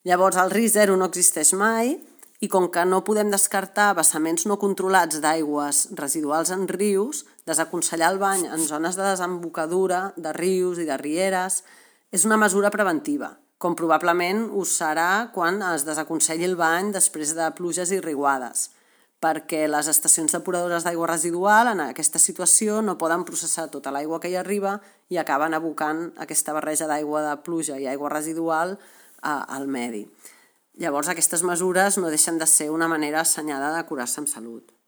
Llavors, el risc zero no existeix mai i com que no podem descartar vessaments no controlats d'aigües residuals en rius, desaconsellar el bany en zones de desembocadura de rius i de rieres és una mesura preventiva, com probablement ho serà quan es desaconselli el bany després de pluges i riuades, perquè les estacions depuradores d'aigua residual en aquesta situació no poden processar tota l'aigua que hi arriba i acaben abocant aquesta barreja d'aigua de pluja i aigua residual al medi. Llavors, aquestes mesures no deixen de ser una manera assenyada de curar-se amb salut.